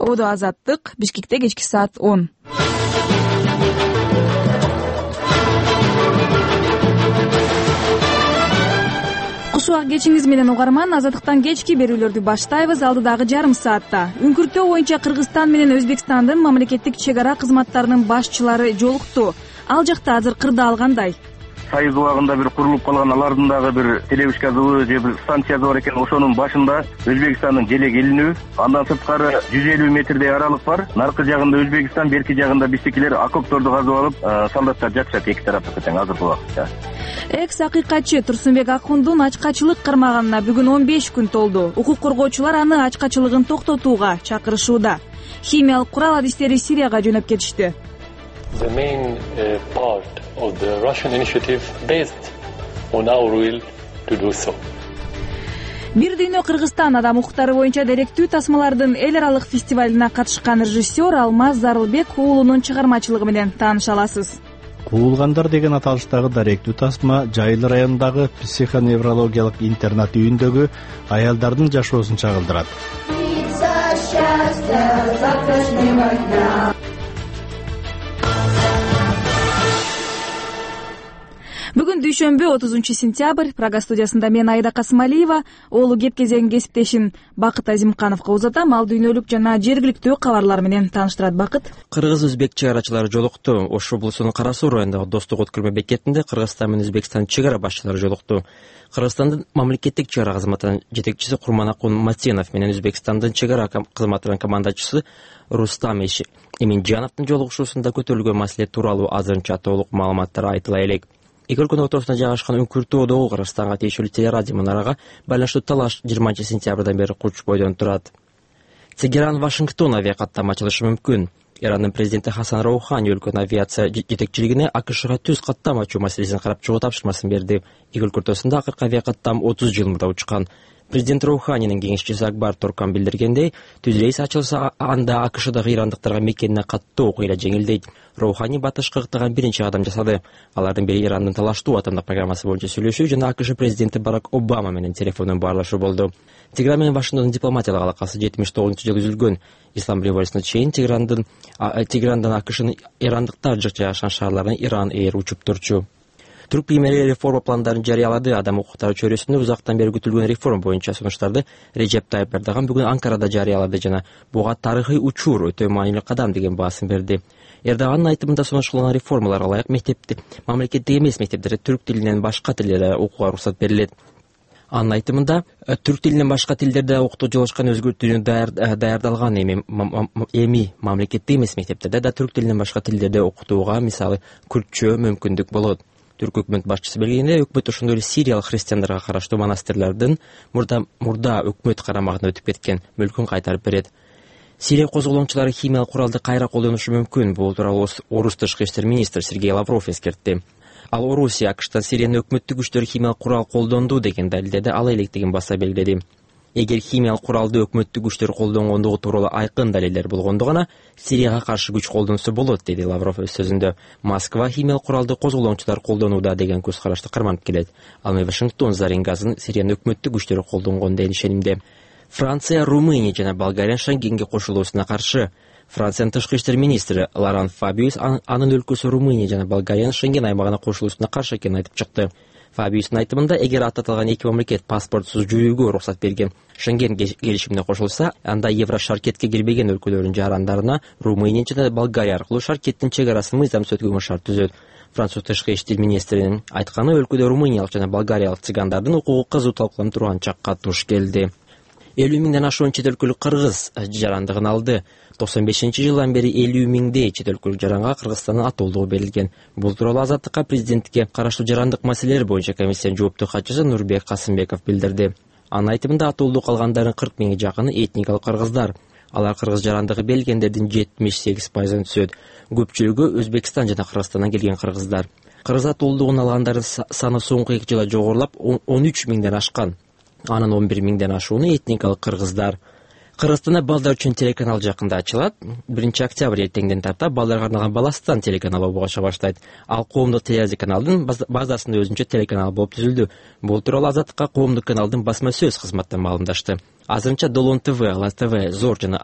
Ободо Азаттык, Бишкекте кечки саат 10. Кушуак кечиңиз менен угарман, Азаттыктан кечки берүүлөрдү баштайбыз. Алдыдагы жарым саатта үңкүртөө боюнча Кыргызстан менен Өзбекстандын мамлекеттик чек ара кызматтарынын башчылары жолукту. Ал жакта азыр кырдаал кандай? Сайыз убагында бир курулуп калган алардын дагы бир телебишка зыбы же бир станциясы бар экен. Ошонун башында Өзбекстандын желек элинүү, андан сырткары 150 метрдей аралык бар. Наркы жагында Өзбекстан, берки жагында биздикилер окопторду казып алып, солдаттар жатышат эки тарапта тең азыркы убакытта. Экс акыйкатчы Турсунбек Акундун ачкачылык кармаганына бүгүн 15 күн толду. Укук коргоочулар аны ачкачылыгын токтотууга чакырышууда. Химиялык курал адистери Сирияга жөнөп кетишти. The main part of the Russian initiative based on our will to do so. Бир дүйнө Кыргызстан адам укуктары боюнча деректүү тасмалардын эл аралык фестивалына катышкан режиссер Алмаз Зарылбек уулунун чыгармачылыгы менен тааныша аласыз. Куулгандар деген аталыштагы даректүү тасма Жайыл районундагы психоневрологиялык интернат үйүндөгү аялдардын жашоосун чагылдырат. Бүгүн дүйшөмбү 30-сентябрь, Прага студиясында мен Айда Касымалиева, оолу кеп кезең кесиптешим Бакыт Азимкановго узатам. Ал дүйнөлүк жана жергиликтүү кабарлар менен тааныштырат. Бакыт. Кыргыз-өзбек чек арачылары жолукту. Ош облусунун Кара Суу районундагы Достук өткөрмө бекетинде Кыргызстан менен Өзбекстан чек ара башчылары жолукту. Кыргызстандын мамлекеттик чек ара кызматынын жетекчиси Курманакун Матенов менен Өзбекстандын чек ара кызматынын командачысы Рустам Эминжановдун жолугушуусунда көтөрүлгөн маселе тууралуу азырынча толук маалыматтар айтыла элек. Эки өлкөнүн ортосунда жайгашкан үңкүртүүдөгү Кыргызстанга тиешелүү телерадио мунарага байланыштуу талаш 20-сентябрдан бери курч бойдон турат. Тегеран-Вашингтон авиакаттама ачылышы мүмкүн. Ирандын президенти Хасан Роухани өлкөнүн авиация жетекчилигине АКШга түз каттам ачуу маселесин карап чыгуу тапшырмасын берди. Эки өлкө ортосунда акыркы авиакаттам 30 жыл мурда учкан. Президент Роуханинин кеңешчиси Акбар Торкан билдиргендей, түз рейс ачылса, анда АКШдагы ирандыктарга мекенине каттуу окуя жеңилдейт. Роухани батышка ыктаган биринчи кадам жасады. Алардын бири Ирандын талаштуу атомдук программасы боюнча сүйлөшүү жана АКШ президенти Барак Обама менен телефондон баарлашуу болду. Тегеран менен Вашингтондун дипломатиялык алакасы 79-жылы үзүлгөн. Ислам революциясына чейин Тегерандан АКШнын ирандыктар жык жайгашкан шаарларына Иран Эйр учуп турчу. Түрк премьери реформа пландарын жарыялады. Адам укуктары чөйрөсүндө узактан бери күтүлгөн реформа боюнча сунуштарды Режеп Тайып Эрдоган бүгүн Анкарада жарыялады жана буга тарыхый учур, өтө маанилүү кадам деген баасын берди. Эрдоганын айтымында сунушталган реформаларга ылайык мамлекеттик эмес мектептерде түрк тилинен башка тилдерде окууга уруксат берилет. Анын айтымында түрк тилинен башка тилдерде окутуу жолочкан өзгөртүүнү даярдалган эми мамлекеттик эмес мектептерде да түрк тилинен башка тилдерде окутууга, мисалы, күртчө мүмкүндүк болот. Түрк өкмөт башчысы белгилегендей, өкмөт ошондой эле сириялык христиандарга караштуу монастырлардын мурда өкмөт карамагына өтүп кеткен мүлкүн кайтарып берет. Сирия козголоңчулары химиялык куралды кайра колдонушу мүмкүн. Бул тууралуу Орус тышкы иштер министри Сергей Лавров эскертти. Ал Орусия АКШтан Сириянын өкмөттүк күчтөрү химиялык курал колдонду деген далилдеди, ала электигин баса белгиледи. Эгер химиялык куралды өкмөттүк күчтөр колдонгондугу тууралуу айкын далилдер болгондо гана Сирияга каршы күч колдонсо болот, деди Лавров өз сөзүндө. Москва химиялык куралды козголоңчулар колдонууда деген көз карашты карманып келет. Ал эми Вашингтон зарин газын Сириянын өкмөттүк күчтөрү колдонгон деген ишенимде. Франция, Румыния жана Болгария Шенгенге кошулуусуна каршы. Франциянын тышкы иштер министри Лоран Фабиус анын өлкөсү Румыния жана Болгариянын Шенген аймагына кошулуусуна каршы экенин айтып чыкты. Фабиустун айтымында, эгер ататылган эки мамлекет паспортсуз жүрүүгө уруксат берген Шенген келишимине кошулса, анда Еврошаркетке кирбеген өлкөлөрдүн жарандарына Румыния жана Болгария аркылуу шаркеттин чек арасын мыйзамсыз өткөргөн шарт түзөт. Француз тышкы иштер министринин айтканы, өлкөдө румыниялык жана болгариялык цыгандардын укугу кызуу талкууланып турган чакка туш келди. 50 миңден ашуун чет өлкөлүк кыргыз жарандыгын алды. 95-жылдан бери 50 миңдей чет өлкөлүк жаранга Кыргызстандын атолдугу берилген. Бул тууралуу Азаттыкка президентке караштуу жарандык маселелер боюнча комиссиянын жооптуу катчысы Нурбек Касымбеков билдирди. Анын айтымында, атолдук алгандардын 40 миңи жакыны этникалык кыргыздар. Алар кыргыз жарандыгы берилгендердин 78%-ын түзөт. Көпчүлүгү Өзбекстан жана Кыргызстандан келген кыргыздар. Кыргыз атолдугун алгандардын саны соңку 2 жылда жогорулап 13 миңден ашкан. Анын 11 миңден ашууну этникалык кыргыздар. Кыргызстанда балдар үчүн телеканал жакында ачылат. 1-октябрь эртеңден тарта балдарга арналган Баластан телеканалы болуша баштайт. Ал коомдук телевизия каналдын базасында өзүнчө телеканал болуп түзүлдү. Бул тууралуу Азаттыкка коомдук каналдын басма сөз кызматынан маалымдашты. Азырынча Долон ТВ, Алас ТВ, Зор жана